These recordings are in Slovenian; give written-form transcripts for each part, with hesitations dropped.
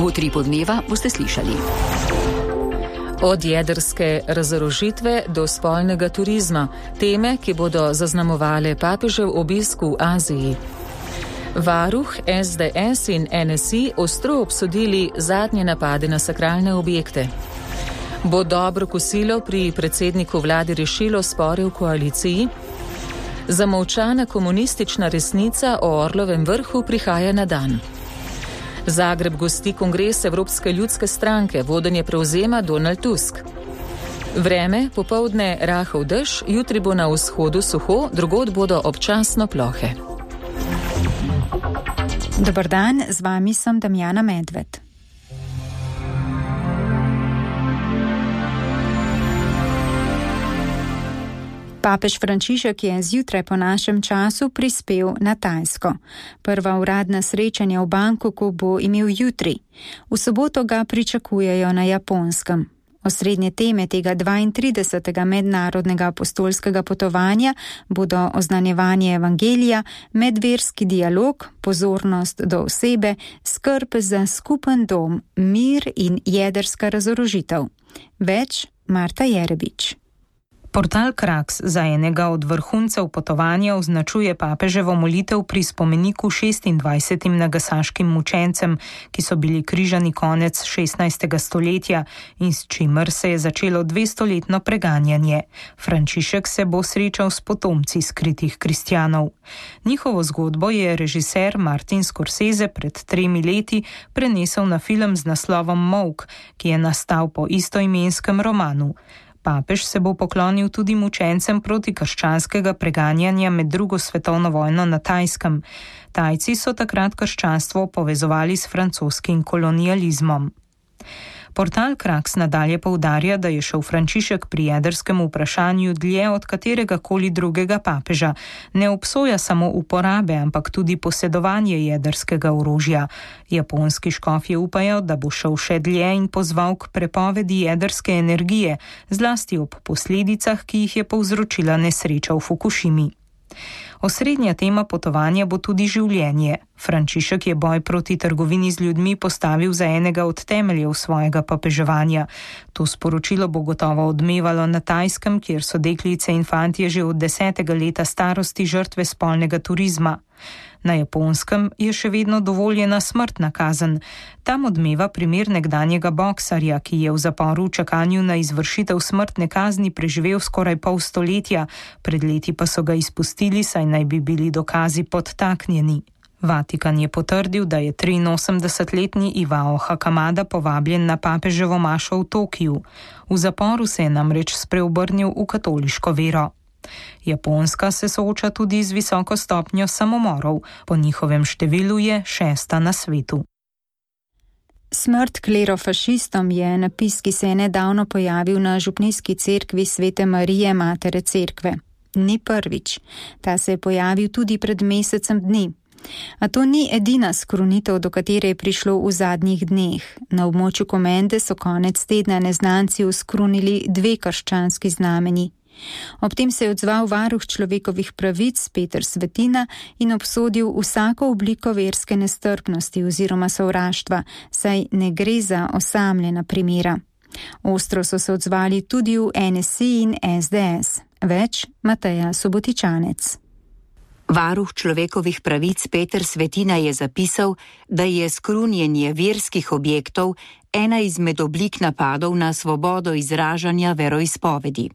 V Utripu dneva boste slišali. Od jedrske razorožitve do spolnega turizma, teme, ki bodo zaznamovale papežev obisk v Aziji. Varuh, SDS in NSI ostro obsodili zadnje napade na sakralne objekte. Bo dobro kosilo pri predsedniku vlade rešilo spore v koaliciji? Zamolčana komunistična resnica o Orlovem vrhu prihaja na dan. Zagreb gosti kongres Evropske ljudske stranke, vodenje prevzema Donald Tusk. Vreme, popoldne rahel dež, jutri bo na vzhodu suho, drugod bodo občasno plohe. Dober dan, z vami sem Damjana Medved. Papež Frančišek je zjutraj po našem času prispel na Tajsko. Prva uradna srečanja v Bangkoku bo imel jutri. V soboto ga pričakujejo na Japonskem. Osrednje teme tega 32. mednarodnega apostolskega potovanja bodo oznanjevanje evangelija, medverski dialog, pozornost do osebe, skrb za skupen dom, mir in jedrska razorožitev. Več Marta Jerebič. Portal Kraks za enega od vrhuncev potovanja označuje papeževo molitev pri spomeniku 26 nagasaškim mučencem, ki so bili križani konec 16. stoletja in s čimer se je začelo 200-letno preganjanje. Frančišek se bo srečal s potomci skritih kristjanov. Njihovo zgodbo je režiser Martin Scorsese pred 3 leti prenesel na film z naslovom Molk, ki je nastal po istoimenskem romanu. Papež se bo poklonil tudi mučencem protikrščanskega preganjanja med drugo svetovno vojno na Tajskem. Tajci so takrat krščanstvo povezovali s francoskim kolonializmom. Portal Kraks nadalje poudarja, da je šel Frančišek pri jedrskem vprašanju dlje od katerega koli drugega papeža. Ne obsoja samo uporabe, ampak tudi posedovanje jedrskega orožja. Japonski škofje upajo, da bo šel še dlje in pozval k prepovedi jedrske energije, zlasti ob posledicah, ki jih je povzročila nesreča v Fukušimi. Osrednja tema potovanja bo tudi življenje. Frančišek je boj proti trgovini z ljudmi postavil za enega od temeljev svojega papeževanja. To sporočilo bo gotovo odmevalo na Tajskem, kjer so deklice in fantje že od 10. leta starosti žrtve spolnega turizma. Na Japonskem je še vedno dovoljena smrtna kazen. Tam odmeva primer nekdanjega boksarja, ki je v zaporu v čakanju na izvršitev smrtne kazni preživel skoraj pol stoletja, pred leti pa so ga izpustili, saj naj bi bili dokazi podtaknjeni. Vatikan je potrdil, da je 83-letni Iwao Hakamada povabljen na papeževo mašo v Tokiju. V zaporu se je namreč spreobrnil v katoliško vero. Japonska se sooča tudi z visoko stopnjo samomorov, po njihovem številu je 6. na svetu. Smrt klerofašistom je napis, ki se je nedavno pojavil na župnijski cerkvi Svete Marije Matere Cerkve. Ni prvič. Ta se je pojavil tudi pred mesecem dni. A to ni edina skrunitev, do katere je prišlo v zadnjih dneh. Na območju Komende so konec tedna neznanci uskrunili 2 krščanski znameni. Ob tem se je odzval varuh človekovih pravic Peter Svetina in obsodil vsako obliko verske nestrpnosti oziroma sovraštva, saj ne gre za osamljena primera. Ostro so se odzvali tudi v NSI in SDS. Več Mateja Subotičanec. Varuh človekovih pravic Peter Svetina je zapisal, da je skrunjenje verskih objektov ena izmed oblik napadov na svobodo izražanja veroizpovedi.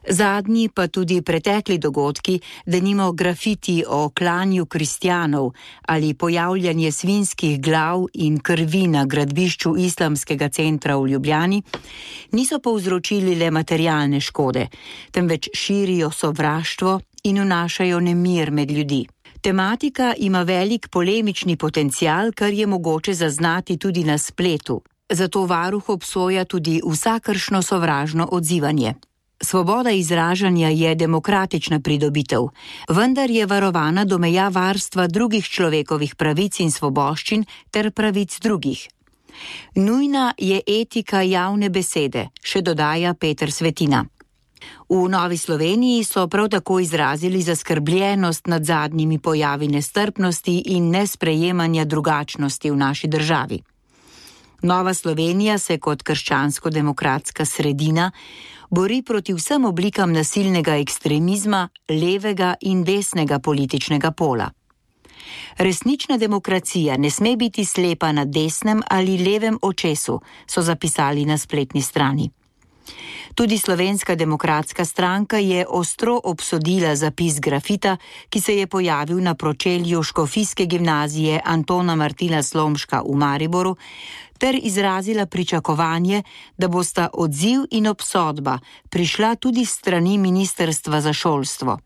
Zadnji pa tudi pretekli dogodki, denimo grafiti o klanju kristjanov ali pojavljanje svinjskih glav in krvi na gradbišču islamskega centra v Ljubljani, niso povzročili le materialne škode, temveč širijo sovraštvo in vnašajo nemir med ljudi. Tematika ima velik polemični potencial, kar je mogoče zaznati tudi na spletu. Zato varuh obsoja tudi vsakršno sovražno odzivanje. Svoboda izražanja je demokratična pridobitev, vendar je varovana do meja varstva drugih človekovih pravic in svoboščin ter pravic drugih. Nujna je etika javne besede, še dodaja Peter Svetina. V Novi Sloveniji so prav tako izrazili zaskrbljenost nad zadnjimi pojavi nestrpnosti in nesprejemanja drugačnosti v naši državi. Nova Slovenija se kot krščansko-demokratska sredina bori proti vsem oblikam nasilnega ekstremizma levega in desnega političnega pola. Resnična demokracija ne sme biti slepa na desnem ali levem očesu, so zapisali na spletni strani. Tudi Slovenska demokratska stranka je ostro obsodila zapis grafita, ki se je pojavil na pročelju Škofijske gimnazije Antona Martina Slomška v Mariboru, ter izrazila pričakovanje, da bosta odziv in obsodba prišla tudi s strani Ministrstva za šolstvo.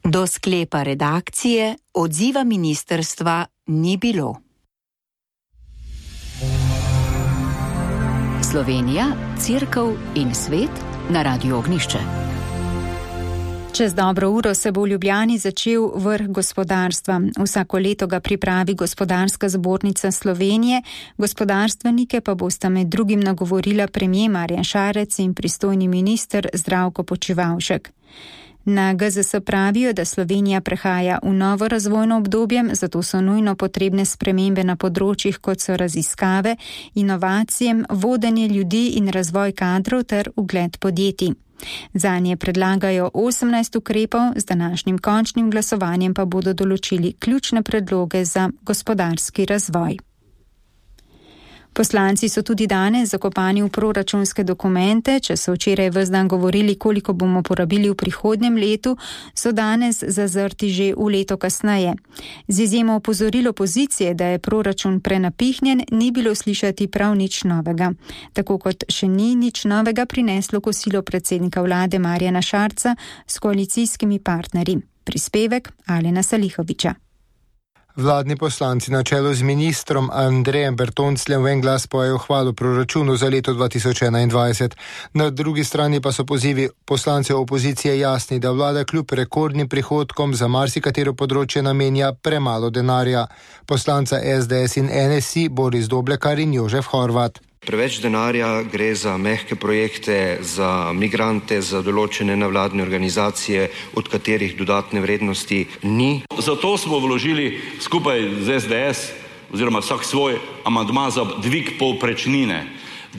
Do sklepa redakcije odziva ministrstva ni bilo. Slovenija, Cerkev in svet na Radiu Ognjišče. Čez dobro uro se bo v Ljubljani začel vrh gospodarstva. Vsako leto ga pripravi Gospodarska zbornica Slovenije, gospodarstvenike pa bosta med drugim nagovorila premier Marjan Šarec in pristojni minister Zdravko Počivalšek. Na GZS pravijo, da Slovenija prehaja v novo razvojno obdobje, zato so nujno potrebne spremembe na področjih, kot so raziskave, inovacije, vodenje ljudi in razvoj kadrov ter ugled podjetij. Zanje predlagajo 18 ukrepov, z današnjim končnim glasovanjem pa bodo določili ključne predloge za gospodarski razvoj. Poslanci so tudi danes zakopani v proračunske dokumente. Če so včeraj ves dan govorili, koliko bomo porabili v prihodnjem letu, so danes zazrti že v leto kasneje. Z izjemo opozoril opozicije, da je proračun prenapihnjen, ni bilo slišati prav nič novega. Tako kot še ni nič novega prineslo kosilo predsednika vlade Marjana Šarca s koalicijskimi partnerji. Prispevek Alena Salihoviča. Vladni poslanci na čelu z ministrom Andrejem Bertoncljem v en glas pojejo hvalo proračunu za leto 2021. Na drugi strani pa so pozivi poslancev opozicije jasni, da vlada kljub rekordnim prihodkom za marsikatero področje namenja premalo denarja. Poslanca SDS in NSI Boris Doblekar in Jožef Horvat. Preveč denarja gre za mehke projekte, za migrante, za določene nevladne organizacije, od katerih dodatne vrednosti ni. Zato smo vložili skupaj z SDS, oziroma vsak svoj amandma za dvig povprečnine,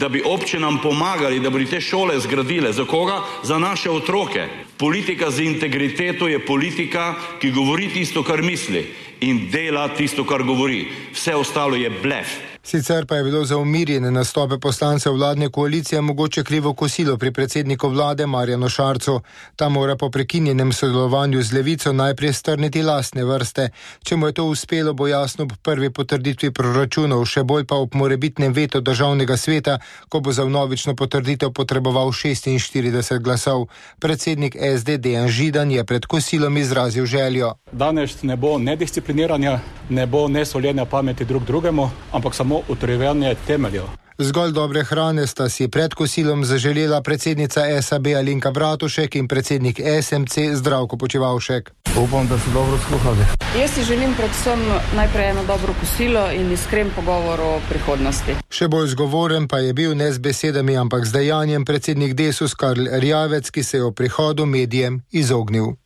da bi občinam pomagali, da bi te šole zgradile. Za koga? Za naše otroke. Politika z integriteto je politika, ki govori tisto, kar misli in dela tisto, kar govori. Vse ostalo je blef. Sicer pa je bilo za umirjene nastope poslancev vladne koalicije mogoče krivo kosilo pri predsedniku vlade Marjanu Šarcu. Ta mora po prekinjenem sodelovanju z Levico najprej strniti lastne vrste. Če mu je to uspelo, bo jasno ob prvi potrditvi proračunov, še bolj pa ob morebitnem vetu državnega sveta, ko bo za vnovično potrditev potreboval 46 glasov. Predsednik SD Dejan Židan je pred kosilom izrazil željo. Danes ne bo nediscipliniranja, ne bo nesoljenja pameti drug drugemu, ampak samo utrjevanje temeljev. Zgolj dobre hrane sta si pred kosilom zaželela predsednica SAB Alenka Bratušek in predsednik SMC Zdravko Počivalšek. Upam, da so dobro sluhali. Jaz si želim predvsem najprej eno dobro kosilo in iskren pogovor o prihodnosti. Še bolj zgovoren pa je bil ne z besedami, ampak z dejanjem predsednik Desus Karl Erjavec, ki se je o prihodu medijem izognil.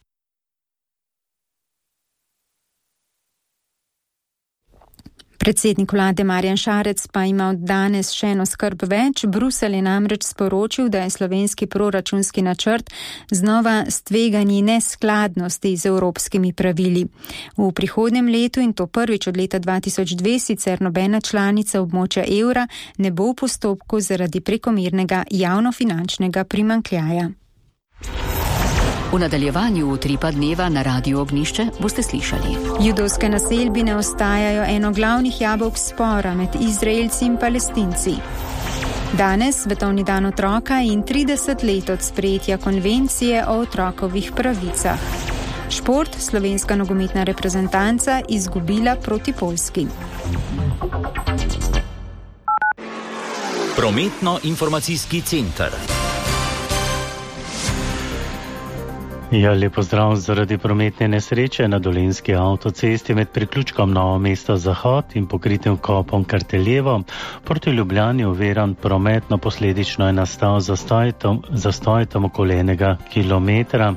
Predsednik vlade Marjan Šarec pa ima od danes še eno skrb več. Bruselj je namreč sporočil, da je slovenski proračunski načrt znova s tveganji neskladnosti z evropskimi pravili. V prihodnjem letu, in to prvič od leta 2002, sicer nobena članica območja evra ne bo v postopku zaradi prekomernega javnofinančnega primanjkljaja. V nadaljevanju Utripa dneva na Radiu Ognjišče boste slišali. Judovske naselbine ostajajo eno glavnih jabolk spora med Izraelci in Palestinci. Danes svetovni dan otroka in 30 let od sprejetja konvencije o otrokovih pravicah. Šport, slovenska nogometna reprezentanca izgubila proti Poljski. Prometno-informacijski center. Ja, lepo zdrav. Zaradi prometne nesreče na Dolenjski avtocesti med priključkom Novo mesto Zahod in pokritim kopom Karteljevo proti Ljubljani oviran prometno, posledično je nastal zastoj tam okoli 1 kilometra.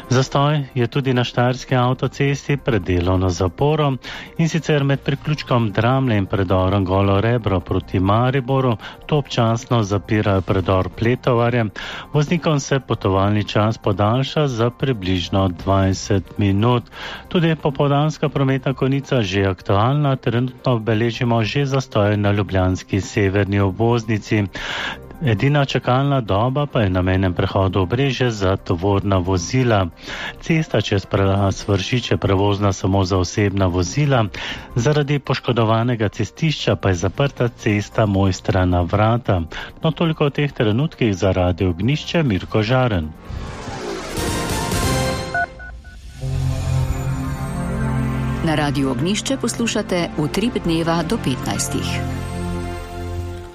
Zastoj je tudi na Štajerski avtocesti pred delovno zaporo in sicer med priključkom Dramlje in predorom Golo Rebro proti Mariboru. To občasno zapirajo predor Pletovarje. Voznikom se potovalni čas podaljša za približno 20 minut. Tudi popoldanska prometna konica že aktualna, trenutno beležimo že zastoje na ljubljanski severni obvoznici. Edina čakalna doba pa je na mejnem prehodu Obrežje za tovorna vozila. Cesta čez prelaz Vršič je prevozna samo za osebna vozila, zaradi poškodovanega cestišča pa je zaprta cesta Mojstrana Vrata. No, toliko o teh trenutkih za Radio Ognjišče, Mirko Žaren. Na Radiu Ognjišče poslušate Utrip dneva do 15.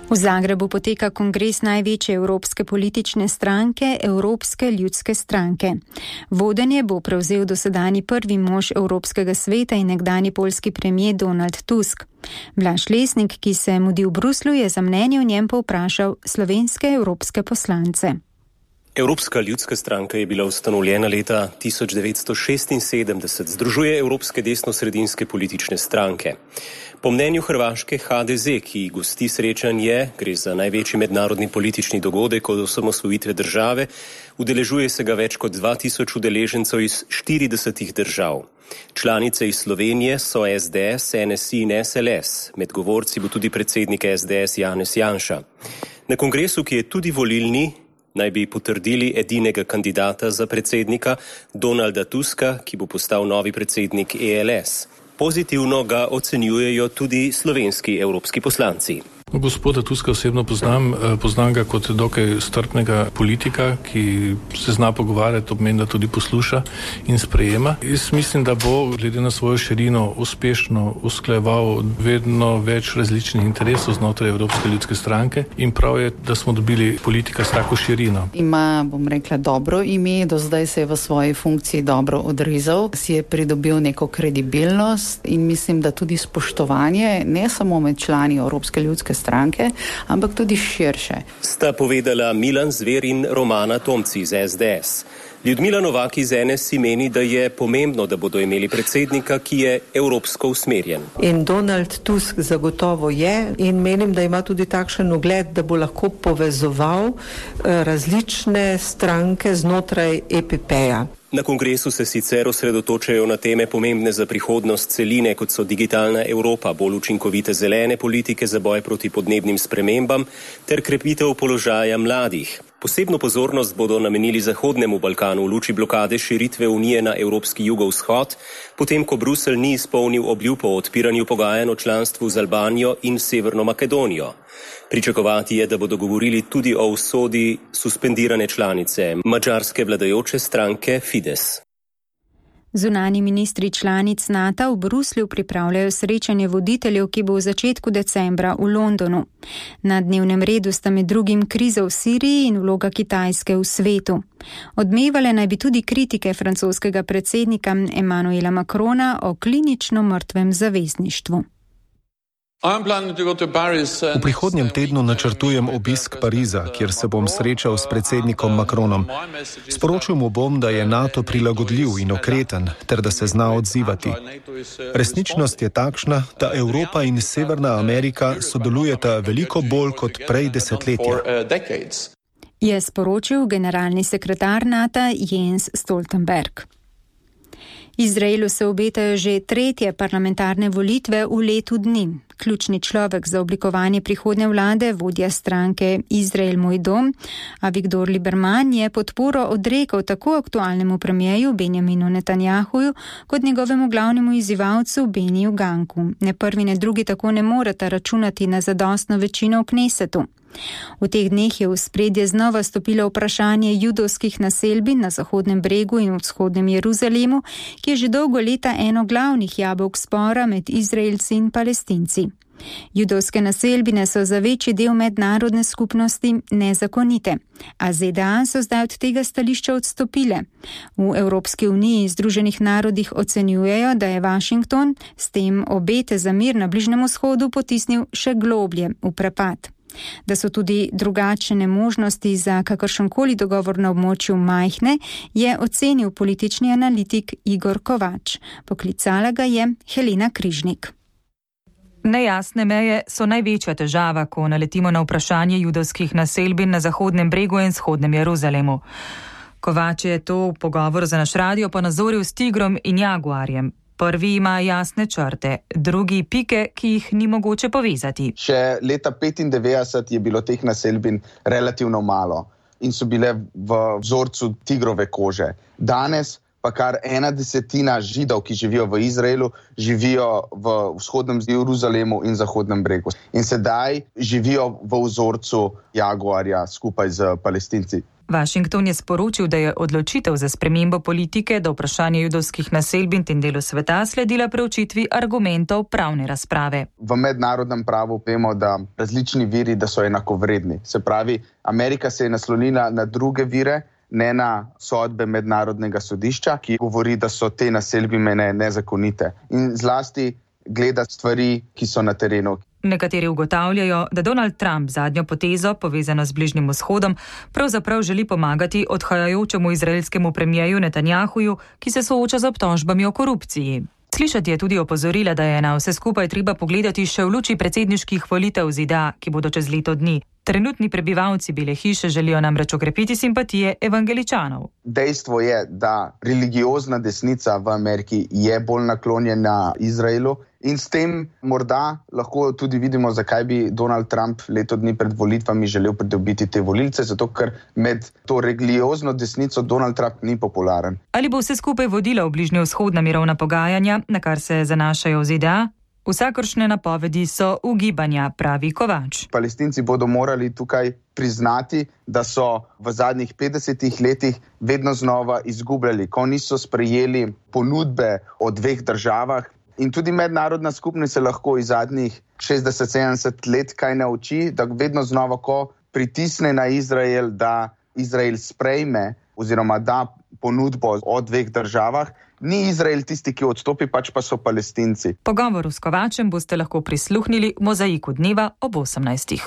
V Zagrebu poteka kongres največje evropske politične stranke, Evropske ljudske stranke. Vodenje bo prevzel dosedanji prvi mož Evropskega sveta in nekdani poljski premier Donald Tusk. Blaž Lesnik, ki se mudi v Bruslju, je za mnenje o njem povprašal slovenske evropske poslance. Evropska ljudska stranka je bila ustanovljena leta 1976, združuje evropske desno-sredinske politične stranke. Po mnenju hrvaške HDZ, ki gosti srečanje, gre za največji mednarodni politični dogodek od osamosvojitve države, udeležuje se ga več kot 2000 udeležencev iz 40 držav. Članice iz Slovenije so SDS, NSI in SLS. Med govorci bo tudi predsednik SDS Janez Janša. Na kongresu, ki je tudi volilni, naj bi potrdili edinega kandidata za predsednika, Donalda Tuska, ki bo postal novi predsednik ELS. Pozitivno ga ocenjujejo tudi slovenski evropski poslanci. Gospoda Tuska osebno poznam ga kot dokaj strpnega politika, ki se zna pogovarjati, obmeni, da tudi posluša in sprejema. Jaz mislim, da bo glede na svojo širino uspešno usklajeval vedno več različnih interesov znotraj Evropske ljudske stranke in prav je, da smo dobili politika s tako širino. Ima, bom rekla, dobro ime, do zdaj se je v svoji funkciji dobro odrezal, si je pridobil neko kredibilnost in mislim, da tudi spoštovanje ne samo med člani Evropske ljudske stranke, ampak tudi širše. Sta povedala Milan Zver in Romana Tomci iz SDS. Ljudmila Novak iz NSI meni, da je pomembno, da bodo imeli predsednika, ki je evropsko usmerjen. In Donald Tusk zagotovo je in menim, da ima tudi takšen ugled, da bo lahko povezoval različne stranke znotraj EPP-ja. Na kongresu se sicer osredotočajo na teme pomembne za prihodnost celine, kot so digitalna Evropa, bolj učinkovite zelene politike za boj proti podnebnim spremembam ter krepitev položaja mladih. Posebno pozornost bodo namenili Zahodnemu Balkanu v luči blokade širitve Unije na evropski jugovzhod, potem ko Bruselj ni izpolnil obljub o odpiranju pogajanj o članstvu z Albanijo in Severno Makedonijo. Pričakovati je, da bodo govorili tudi o usodi suspendirane članice madžarske vladajoče stranke Fides. Zunanji ministri članic NATO v Bruslju pripravljajo srečanje voditeljev, ki bo v začetku decembra v Londonu. Na dnevnem redu sta med drugim kriza v Siriji in vloga Kitajske v svetu. Odmevale naj bi tudi kritike francoskega predsednika Emmanuela Macrona o klinično mrtvem zavezništvu. V prihodnjem tednu načrtujem obisk Pariza, kjer se bom srečal s predsednikom Macronom. Sporočil mu bom, da je NATO prilagodljiv in okreten, ter da se zna odzivati. Resničnost je takšna, da Evropa in Severna Amerika sodelujeta veliko bolj kot prej desetletja. Je sporočil generalni sekretar NATO Jens Stoltenberg. Izraelu se obetajo že tretje parlamentarne volitve v letu dni. Ključni človek za oblikovanje prihodnje vlade, vodja stranke Izrael moj dom, Avigdor Lieberman, je podporo odrekel tako aktualnemu premijeju Benjaminu Netanjahuju kot njegovemu glavnemu izzivalcu Beniju Ganku. Ne prvi ne drugi tako ne moreta računati na zadostno večino v Knesetu. V teh dneh je v spredje znova stopilo vprašanje judovskih naselbin na Zahodnem bregu in vzhodnem Jeruzalemu, ki je že dolgo leta eno glavnih jabolk spora med Izraelci in Palestinci. Judovske naselbine so za večji del mednarodne skupnosti nezakonite, a ZDA so zdaj od tega stališča odstopile. V Evropski uniji in Združenih narodih ocenjujejo, da je Washington s tem obete za mir na Bližnjem vzhodu potisnil še globlje v prepad. Da so tudi drugačne možnosti za kakršenkoli dogovor na območju majhne, je ocenil politični analitik Igor Kovač. Poklicala ga je Helena Križnik. Nejasne meje so največja težava, ko naletimo na vprašanje judovskih naselbin na Zahodnem bregu in Vzhodnem Jeruzalemu. Kovač je to v pogovoru za naš radio ponazoril s tigrom in jaguarjem. Prvi ima jasne črte, drugi pike, ki jih ni mogoče povezati. Še leta 1995 je bilo teh naselbin relativno malo in so bile v vzorcu tigrove kože. Danes pa kar 1/10 Židov, ki živijo v Izraelu, živijo v Vzhodnem Jeruzalemu in Zahodnem bregu. In sedaj živijo v vzorcu jaguarja skupaj z Palestinci. Washington je sporočil, da je odločitev za spremembo politike do vprašanja judovskih naselbin tem delu sveta sledila preučitvi argumentov pravne razprave. V mednarodnem pravu vemo, da različni viri, da so enakovredni. Se pravi, Amerika se je naslonila na druge vire, ne na sodbe mednarodnega sodišča, ki govori, da so te naselbine nezakonite. In zlasti gleda stvari, ki so na terenu. Nekateri ugotavljajo, da Donald Trump zadnjo potezo, povezano z Bližnjim vzhodom, pravzaprav želi pomagati odhajajočemu izraelskemu premijeju Netanjahuju, ki se sooča z obtožbami o korupciji. Slišati je tudi opozorila, da je na vse skupaj treba pogledati še v luči predsedniških volitev ZDA, ki bodo čez leto dni. Trenutni prebivalci Bele hiše želijo namreč okrepiti simpatije evangeličanov. Dejstvo je, da religiozna desnica v Ameriki je bolj naklonjena Izraelu in s tem morda lahko tudi vidimo, zakaj bi Donald Trump leto dni pred volitvami želel pridobiti te volilce, zato ker med to religiozno desnico Donald Trump ni popularen. Ali bo vse skupaj vodilo v bližnjevzhodna mirovna pogajanja, na kar se zanašajo v ZDA? Vsakršne napovedi so ugibanja, pravi Kovač. Palestinci bodo morali tukaj priznati, da so v zadnjih 50 letih vedno znova izgubljali, ko niso sprejeli ponudbe o dveh državah. In tudi mednarodna skupnost se lahko iz zadnjih 60-70 let kaj nauči, da vedno znova, ko pritisne na Izrael, da Izrael sprejme oziroma da ponudbo o dveh državah, ni Izrael tisti, ki odstopi, pač pa so Palestinci. Pogovoru s Kovačem boste lahko prisluhnili v Mozaiku dneva ob 18.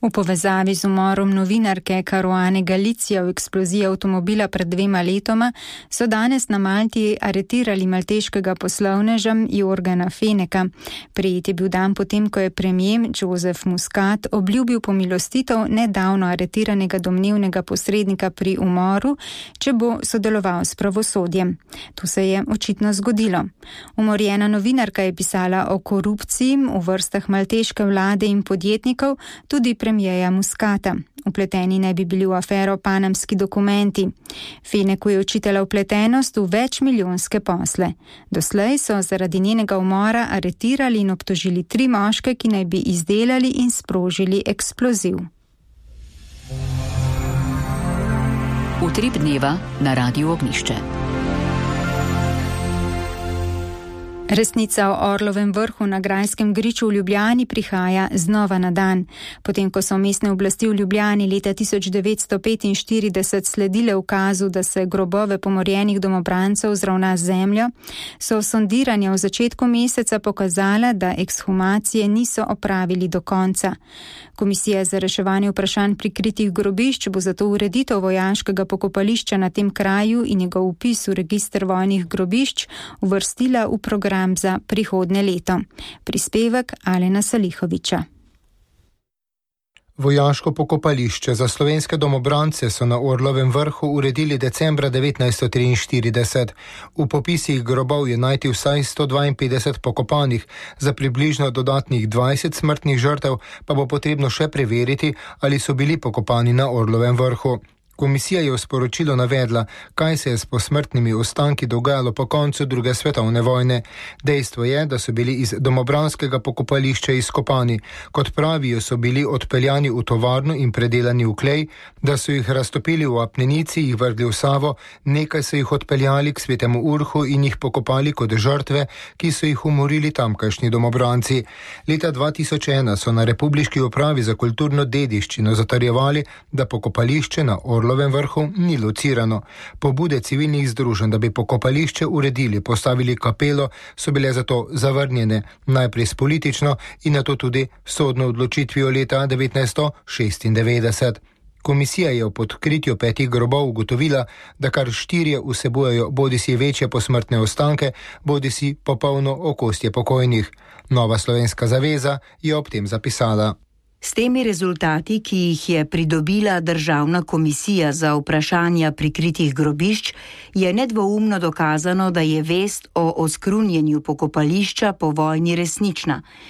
V povezavi z umorom novinarke Caruane Galizia v eksploziji avtomobila pred 2 letoma so danes na Malti aretirali malteškega poslovneža Jorgana Feneka. Prijet je bil dan potem, ko je premier Joseph Muscat obljubil pomilostitev nedavno aretiranega domnevnega posrednika pri umoru, če bo sodeloval s pravosodjem. To se je očitno zgodilo. Umorjena novinarka je pisala o korupciji v vrstah malteške vlade in podjetnikov, tudi premijeja Muscata. Vpleteni naj bi bili v afero panamski dokumenti. Feneku je očitala vpletenost v večmilijonske posle. Doslej so zaradi njenega umora aretirali in obtožili 3 moške, ki naj bi izdelali in sprožili eksploziv. Utrip dneva na Radiu Ognjišče. Resnica o Orlovem vrhu na Grajskem griču v Ljubljani prihaja znova na dan. Potem, ko so mestne oblasti v Ljubljani leta 1945 sledile ukazu, da se grobove pomorjenih domobrancev zravna z zemljo, so sondiranja v začetku meseca pokazala, da ekshumacije niso opravili do konca. Komisija za reševanje vprašanj prikritih grobišč bo zato ureditev vojaškega pokopališča na tem kraju in njegov vpis v register vojnih grobišč uvrstila v program za prihodnje leto. Prispevek Alena Salihoviča. Vojaško pokopališče za slovenske domobrance so na Orlovem vrhu uredili decembra 1943. V popisih grobov je najti vsaj 152 pokopanih, za približno dodatnih 20 smrtnih žrtev pa bo potrebno še preveriti, ali so bili pokopani na Orlovem vrhu. Komisija je v sporočilu navedla, kaj se je s posmrtnimi ostanki dogajalo po koncu druge svetovne vojne. Dejstvo je, da so bili iz domobranskega pokopališča izkopani. Kot pravijo, so bili odpeljani v tovarno in predelani v klej, da so jih raztopili v apnenici, jih vrgli v Savo, nekaj so jih odpeljali k Svetemu Urhu in jih pokopali kot žrtve, ki so jih umorili tamkajšnji domobranci. Leta 2001 so na Republiški upravi za kulturno dediščino zatrjevali, da pokopališče na Orlovem vrhu ni locirano. Pobude civilnih združenj, da bi pokopališče uredili, postavili kapelo, so bile zato zavrnjene, najprej s politično in nato tudi sodno odločitvijo leta 1996. Komisija je v podkritju 5 grobov ugotovila, da kar 4 vsebujejo bodisi večje posmrtne ostanke, bodisi popolno okostje pokojnih. Nova slovenska zaveza je ob tem zapisala. S temi rezultati, ki jih je pridobila Državna komisija za vprašanja prikritih grobišč, je nedvoumno dokazano, da je vest o oskrunjenju pokopališča po vojni resnična.